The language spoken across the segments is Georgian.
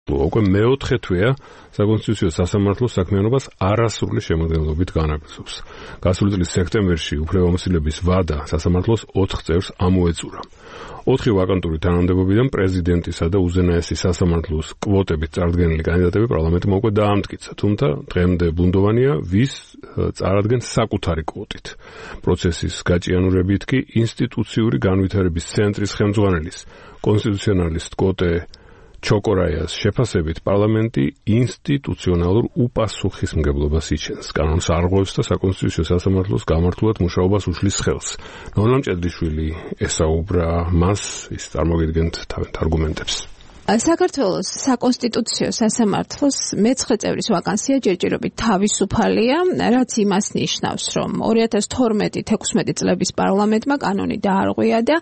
უკვე მეოთხე თვეა საკონსტიტუციო სასამართლოს საქმიანობას არასრული შემადგენლობით განაგრძობს. გასული წლის სექტემბერში უფლებამოსილების ვადა სასამართლოს 4 წევრს ამოეწურა. 4 ვაკანტური თანამდებობიდან პრეზიდენტისა და უზენაესი სასამართლოს კვოტებით წარდგენილი კანდიდატები პარლამენტმა უკვე დაამტკიცა, თუმცა დღემდე ბუნდოვანია ვის წარადგენს საკუთარი კვოტით. პროცესის გაჭიანურებით კი ინსტიტუციური განვითარების ცენტრის ხელმძღვანელის კონსტიტუციონალისტ კოტე ჩოკორაიას შეფასებით პარლამენტი ინსტიტუციონალურ უპასუხისმგებლობას იჩენს. კანონს არღვევს და საკონსტიტუციო სასამართლოს გამართულად მუშაობას უშლის ხელს. ნონა მჭედლიშვილი ესაუბრა მას, ის წარმოგიდგენთ თავენთ არგუმენტებს. საქართველოს საკონსტიტუციო სასამართლოს მე-9 წევრის ვაკანსია ჯერჯერობით თავისუფალია, რაც იმას ნიშნავს, რომ 2012-16 წლების პარლამენტმა კანონი დაარღვია და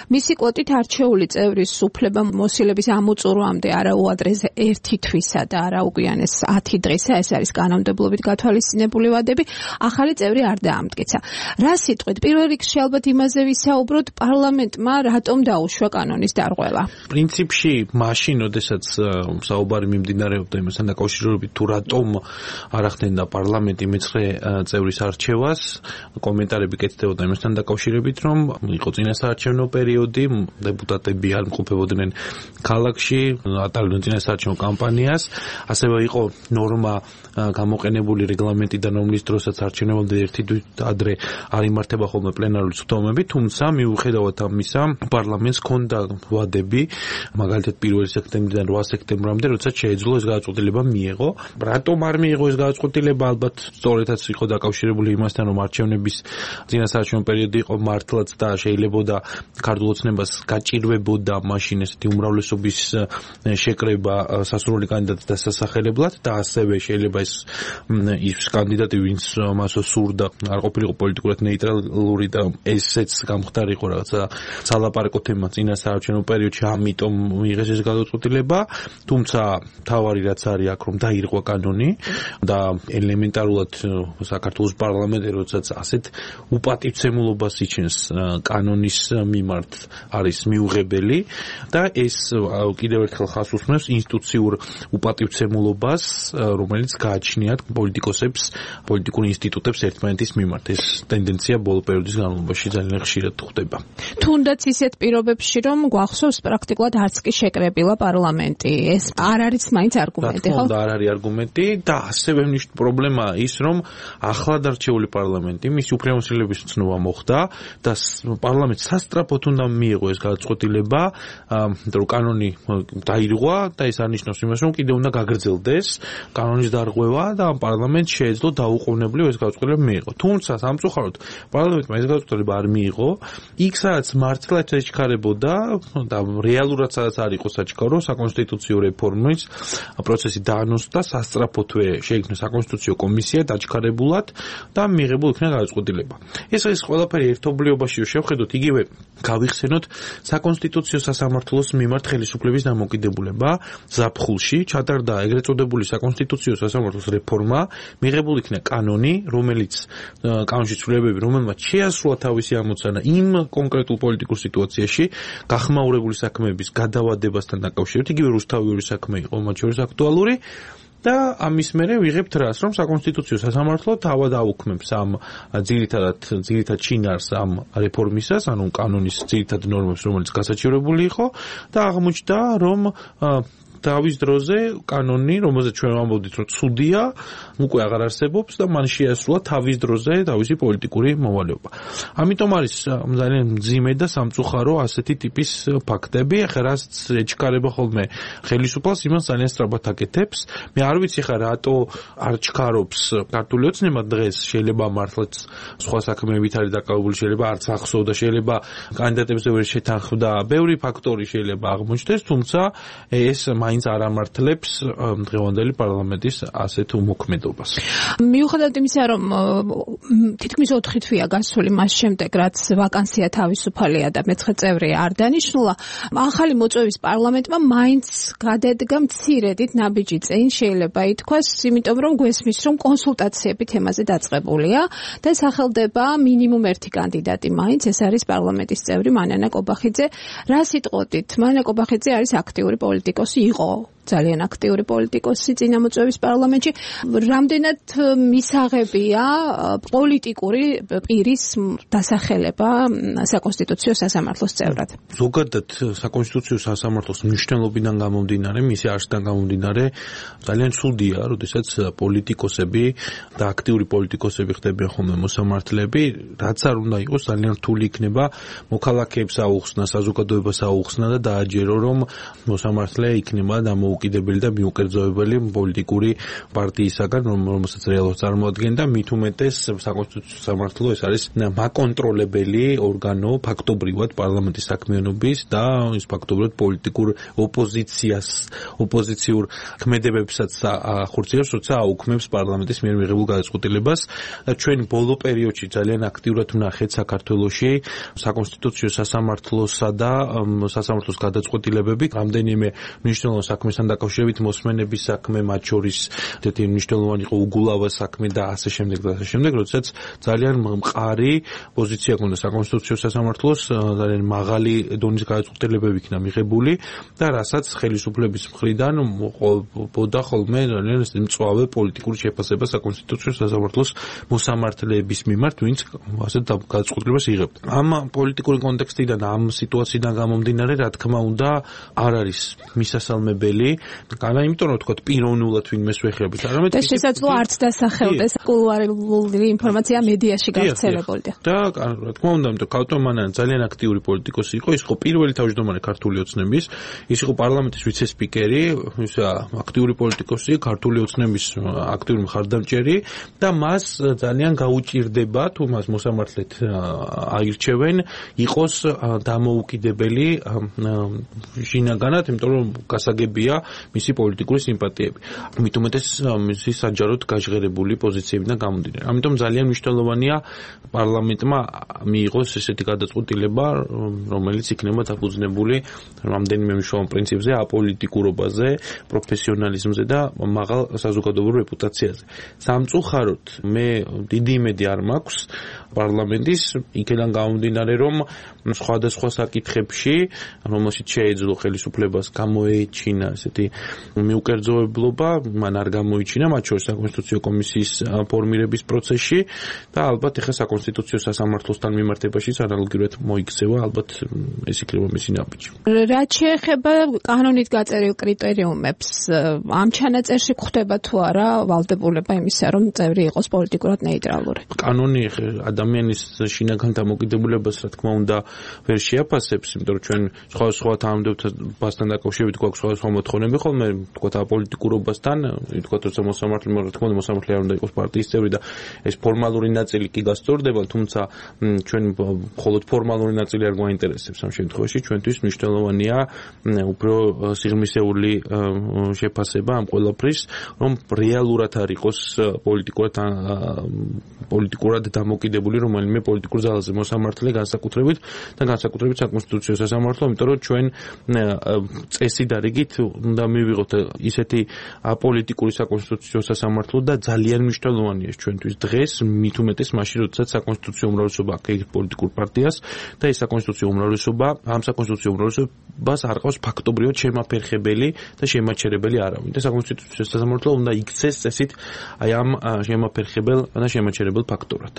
მისი კვოტით არჩეული წევრის უფლებამოსილების ამოწურვამდე არა უადრეს 1 თვისა და არა უგვიანეს 10 დღისა, ეს არის კანონმდებლობით გათვალისწინებული ვადები, ახალი წევრი არ დაამტკიცა. რა სიტყვით, პირველ რიგში ალბათ იმაზე ვისაუბროთ, პარლამენტმა რატომ დაუშვა კანონის დარღვევა? პრინციპში მაშინ, როდესაც საუბარი მიმდინარეობდა იმასთან დაკავშირებით, თუ რატომ არ ახდენდა პარლამენტი მე-9 წევრის არჩევას, კომენტარები კეთდებოდა იმასთან დაკავშირებით, რომ იყო წინასაარჩევნო პერიოდი, დეპუტატები არ მყოფებოდნენ ქალაქში, ატარებდნენ წინასაარჩევნო კამპანიას, ასევე იყო ნორმა გამოყენებული რეგლამენტიდან, რომლის დროსაც არჩევნებამდე 1 თვით ადრე არ იმართება ხოლმე პლენარული სხდომები, თუმცა მიუხედავად ამისა, პარლამენტს ჰქონდა ვადები, მაგალითად 1 სექტემბრიდან 8 სექტემბრამდე, როდესაც შეეძლო ეს გადაწყვეტილება მიეღო. რატომ არ მიეღო ეს გადაწყვეტილება? ალბათ სწორედაც იყო დაკავშირებული იმასთან, რომ არჩევნების წინასაარჩევნო პერიოდი იყო მართლაც და შეიძლებოდა ქართულ ოცნებას გაჭირვებოდა მაშინ ესეთი უმრავლესობის შეკრება სასურველი კანდიდატის დასასახელებლად და ასევე შეიძლება ის კანდიდატი, ვინც მას სურდა, არ ყოფილიყო პოლიტიკურად ნეიტრალური და ესეც გამხდარიყო რაღაცა სალაპარაკო თემა წინასაარჩევნო პერიოდში, ამიტომ მიიღეს ეს გადაწყვეტილება, თუმცა თავარი რაც არის აქ, რომ დაირღვა კანონი და ელემენტარულად საქართველოს პარლამენტი, როდესაც ასეთ უპატივცემულობას იჩენს კანონის მიმართ, არის მიუღებელი და ეს კიდევ ერთხელ ხაზს უსმენს ინსტიტუციურ უპატივცემულობას, რომელიც გააჩნიათ პოლიტიკოსებს, პოლიტიკურ ინსტიტუტებს ერთმანეთის მიმართ. ეს ტენდენცია ბოლო პერიოდის განმავლობაში ძალიან ხშირად ხდება. თუნდაც ისეთ პირობებში, რომ გვახსოვს პრაქტიკულად არც კი შეკრებილა პარლამენტი. ეს არ არის მაინც არგუმენტი, ხო? არ არის არგუმენტი და ასევე პრობლემა ის, რომ ახლად არჩეული პარლამენტი მისი უფლებამოსილების ცნობა მოხდა და პარლამენტს სასწრაფოდ უნდა მიიღო ეს გადაწყვეტილება, რომ კანონი დაირღვა და ეს არნიშნავს იმას, რომ კიდევ უნდა გაგრძელდეს კანონის დარღვევა და პარლამენტს შეეძლო დაუყოვნებლივ ეს გადაწყვეტილება მიიღო. თუმცა სამწუხაროდ პარლამენტმა ეს გადაწყვეტილება არ მიიღო, იქ სადაც მართლაც ეჩქარებოდა და რეალურად სადაც არ იყო საჩქარო საკონსტიტუციო რეფორმის პროცესი დაანონსდა სასწრაფოდვე შეიქმნა საკონსტიტუციო კომისია დაჩქარებულად და მიიღებულ იქნა გადაწყვეტილება. ეს ყველაფერი ერთობლიობაში შევხედოთ, იგივე გავიხსენოთ საკონსტიტუციო სასამართლოს მიმართ ხელისუფლების დამოკიდებულება ზაფხულში ჩატარდა ეგრეთ წოდებული საკონსტიტუციო სასამართლოს რეფორმა, მიღებულ იქნა კანონი, რომელიც კანონში ცვლილებები, რომელმაც შეასრულა თავისი ამოცანა იმ კონკრეტულ პოლიტიკურ სიტუაციაში გახმაურებული საქმეების გადავადებასთან დაკავშირებით, იგივე რუსთავიური საქმე იყო მათ შორის აქტუალური და ამის მერე ვიღებთ რას, რომ საკონსტიტუციო სასამართლო თავად აუქმებს ამ ძირითად შინაარს ამ რეფორმისას, ანუ კანონის ძირითად ნორმებს, რომელიც გასაჩივრებული იყო და აღმოჩნდა, რომ თავის დროზე კანონი, რომელზეც ჩვენ ვამბობდით, რომ ცუდია, უკვე აღარ არსებობს და მან შეასრულა თავის დროზე თავისი პოლიტიკური მოვალეობა. ამიტომ არის ძალიან მძიმე და სამწუხარო ასეთი ტიპის ფაქტები, ახლა რაც ეჩქარება ხოლმე ხელისუფალს, იმას ძალიან სწრაფად აკეთებს. მე არ ვიცი ხა რატო არ ჩქარობს ქართული ოცნება დღეს, შეიძლება მართლაც სხვა საქმეებით არის დაკავებული, შეიძლება არც ახსოვდა, შეიძლება კანდიდატებზე ვერ შეთანხმდა, ბევრი ფაქტორი შეიძლება აღმოჩნდეს, თუმცა ეს მაინც არ ამართლებს დღევანდელი პარლამენტის ასეთ უმოქმედობას. მიუხედავად იმისა, რომ თითქმის 4 თვეა გასული მას შემდეგ, რაც ვაკანსია თავისუფალია და მე-9 წევრი არ დანიშნულა, ახალი მოწვევის პარლამენტმა მაინც გადადგა მცირედით ნაბიჯი წინ, შეიძლება ითქვას, იმიტომ რომ გვესმის, რომ კონსულტაციები თემაზე დაწყებულია და სახელდება მინიმუმ 1 კანდიდატი მაინც, ეს არის პარლამენტის წევრი მანანა კობახიძე. რა სიტყვოდით, მანანა კობახიძე არის აქტიური პოლიტიკოსი, იყო ძალიან აქტიური პოლიტიკოსი წინამოწვევის პარლამენტში. რამდენად მისაღებია პოლიტიკური პირის დასახელება საკონსტიტუციო სასამართლოს წევრად? ზოგადად საკონსტიტუციო სასამართლოს მნიშვნელობიდან გამომდინარე, მისი არსიდან გამომდინარე, ძალიან ცუდია, როდესაც პოლიტიკოსები და აქტიური პოლიტიკოსები ხდებიან ხოლმე მოსამართლეები, რაც არ უნდა იყოს, ძალიან რთული იქნება მოქალაქეებს აუხსნა, საზოგადოებას აუხსნა და დააჯერო, რომ მოსამართლე იქნება დამოუკიდებელი და მიუკერძოებელი პოლიტიკური პარტიისაგან, რომელსაც რეალურად წარმოადგენდა, მით უმეტეს საკონსტიტუციო სამართლო ეს არის მაკონტროლებელი ორგანო ფაქტობრივად პარლამენტის საქმიანობის და ის ფაქტობრივად პოლიტიკურ ოპოზიციურ ქმედებებსაც ახორციელებს, როცა აუქმებს პარლამენტის მიერ მიღებულ გადაწყვეტილებას. ჩვენ ბოლო პერიოდში ძალიან აქტიურად ვნახეთ საქართველოში საკონსტიტუციო სასამართლოსა და სასამართლოს გადაწყვეტილებები რამდენიმე მნიშვნელოვან საქმესთან დაკავშირებით მოსმენების საქმე, მათ შორის ერთ-ერთი მნიშვნელოვანი იყო უგულავას საქმე და ასე შემდეგ და ასე შემდეგ, როდესაც ძალიან მყარი პოზიცია ჰქონდა საკონსტიტუციო სასამართლოს, ძალიან მაღალი დონის გადაწყვეტილებები იქნა მიღებული და რასაც ხელისუფლების მხრიდან მოყოლოდა ხოლმე ძალიან მწვავე პოლიტიკური შეფასება საკონსტიტუციო სასამართლოს მოსამართლეების მიმართ, ვინც ასეთ გადაწყვეტილებას იღებდა. ამ პოლიტიკური კონტექსტიდან, ამ სიტუაციიდან გამომდინარე, რა თქმა უნდა, არ არის მისასალმებელი, იმიტომ რომ თქვა პიროვნულად ვინმეს ვეხებთ, არამედ და შესაძლოა არც დასახელდეს კულუარული ინფორმაცია მედიაში გავრცელებული. და რა თქმა უნდა, იმიტომ კავტომანიანი ძალიან აქტიური პოლიტიკოსი იყო, ის იყო პირველი თავმჯდომარე ქართული ოცნების, ის იყო პარლამენტის ვიცე-სპიკერი, ის აქტიური პოლიტიკოსი, ქართული ოცნების აქტიური მხარდამჭერი და მას ძალიან გაუჭირდება, თუ მას მოსამართლედ აირჩევენ, იყოს დამოუკიდებელი შინაგანად, იმიტომ რომ გასაგებია მისი პოლიტიკური სიმპათიები. მით უმეტეს მისი საჯაროდ გაჟღერებული პოზიციებიდან გამომდინარე. ამიტომ ძალიან მნიშვნელოვანია პარლამენტმა მიიღოს ესეთი გადაწყვეტილება, რომელიც იქნება დაფუძნებული რამდენიმე მნიშვნელოვან პრინციპზე, აპოლიტიკურობაზე, პროფესიონალიზმზე და მაღალ საზოგადოებრივ რეპუტაციაზე. სამწუხაროდ, მე დიდი იმედი არ მაქვს პარლამენტის იქიდან გამომდინარე, რომ სხვადასხვა საკითხებში, რომელშიც შეეძლო ხელისუფლებას გამოეჩინა ესეთი მიუკერძოებლობა, მან არ გამოიჩინა, მათ შორის საკონსტიტუციო კომისიის ფორმირების პროცესში და ალბათ ეხლა საკონსტიტუციო სასამართლოსთან მიმართებაშიც ანალოგიურად მოიქცევა, ალბათ ეს იქნება მისი ნაბიჯი. რაც შეეხება კანონით გაწერილ კრიტერიუმებს, ამ ჩანაწერში გვხვდება თუ არა ვალდებულება იმისა, რომ წევრი იყოს პოლიტიკურად ნეიტრალური? კანონი ადამიანის შინაგან დამოკიდებულებას, რა თქმა უნდა, ვერ შეაფასებს, იმიტომ რომ ჩვენ სხვა თანამდებობასთან დაკავშირებით გვაქვს სხვა მოთხოვნები ხოლმე, თქვა აპოლიტიკურობასთან, თქვა როცა მოსამართლე, რა თქმა უნდა, მოსამართლე არ უნდა იყოს პარტიის წევრი და ეს ფორმალური ნაწილი კი გასწორდება, თუმცა ჩვენ მხოლოდ ფორმალური ნაწილი არ გვაინტერესებს ამ შემთხვევაში, ჩვენთვის მნიშვნელოვანია უფრო სიღრმისეული შეფასება ამ ყველაფრის, რომ რეალურად არ იყოს პოლიტიკურად დამოკიდებული რომელიმე პოლიტიკურ ძალაზე მოსამართლე განსაკუთრებით საკონსტიტუციო სასამართლო, იმიტომ რომ ჩვენ წესით და რიგით უნდა მივიღოთ ისეთი აპოლიტიკური საკონსტიტუციო სასამართლო და ძალიან მნიშვნელოვანია ჩვენთვის დღეს, მით უმეტეს მაშინ, როდესაც საკონსტიტუციო უმრავლესობა აქ პოლიტიკურ პარტიას და ეს საკონსტიტუციო უმრავლესობა ამ საკონსტიტუციო უმრავლესობას არ ყავს ფაქტობრივად შემაფერხებელი და შემაჩერებელი არავინ. და საკონსტიტუციო სასამართლო უნდა იქცეს წესით აი ამ შემაფერხებელ და შემაჩერებელ ფაქტორად.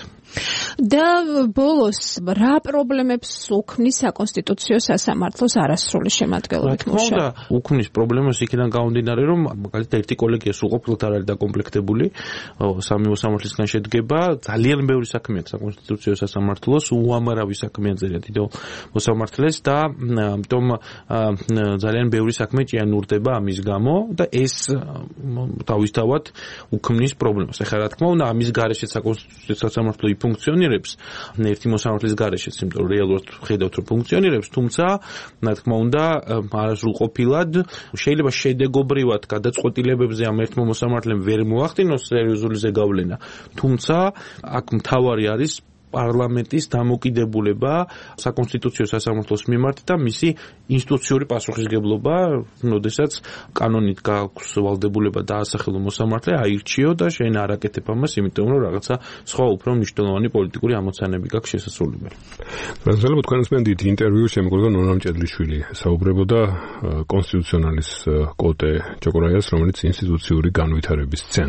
და ბოლოს რა პრობლემებს უქმნის საკონსტიტუციო სასამართლოს არასრული შემადგენლობით მუშაობა? უქმნის პრობლემას იქიდან გამომდინარე, რომ მაგალითად ერთი კოლეგია სრულყოფილად არ არის დაკომპლექტებული, სამი მოსამართლისგან შედგება, ძალიან ბევრი საქმე აქვს საკონსტიტუციო სასამართლოს, უამრავი საქმეა ძალიან დიდ მოსამართლეს და ამიტომ ძალიან ბევრი საქმე ჭიანურდება ამის გამო და ეს თავისთავად უქმნის პრობლემას. ეხლა რა თქმა უნდა, ამის გარეშე საკონსტიტუციო სასამართლო ფუნქციონირებს, ერთი მოსამართლის გარეშეც, იმიტომ რომ რეალურად ხედავთ, რომ ფუნქციონირებს, თუმცა რა თქმა უნდა, არასრულყოფილად შეიძლება შედეგობრივად გადაწყვეტილებებზე ამ ერთმა მოსამართლემ ვერ მოახდინოს სერიოზული ზეგავლენა, თუმცა აქ მთავარი არის პარლამენტის დამოკიდებულება საკონსტიტუციო სასამართლოს მიმართ და მისი ინსტიტუციური პასუხისგებლობა, როდესაც კანონით გააქვს ვალდებულება დაასახელო მოსამართლე, აირჩიო და შენ არ აკეთებ ამას, იმიტომ რომ რაღაცა სხვა უფრო მნიშვნელოვანი პოლიტიკური ამოცანები გაქვს შესასრულებელი. რაზეულობ თქვენს მენდით ინტერვიუ შემოგვიგო ნონამ ჭედლიშვილი საუბრებოდა კონსტიტუციონალის კოტე ჯოკრაიას, რომელიც ინსტიტუციური განვითარების ცენტრ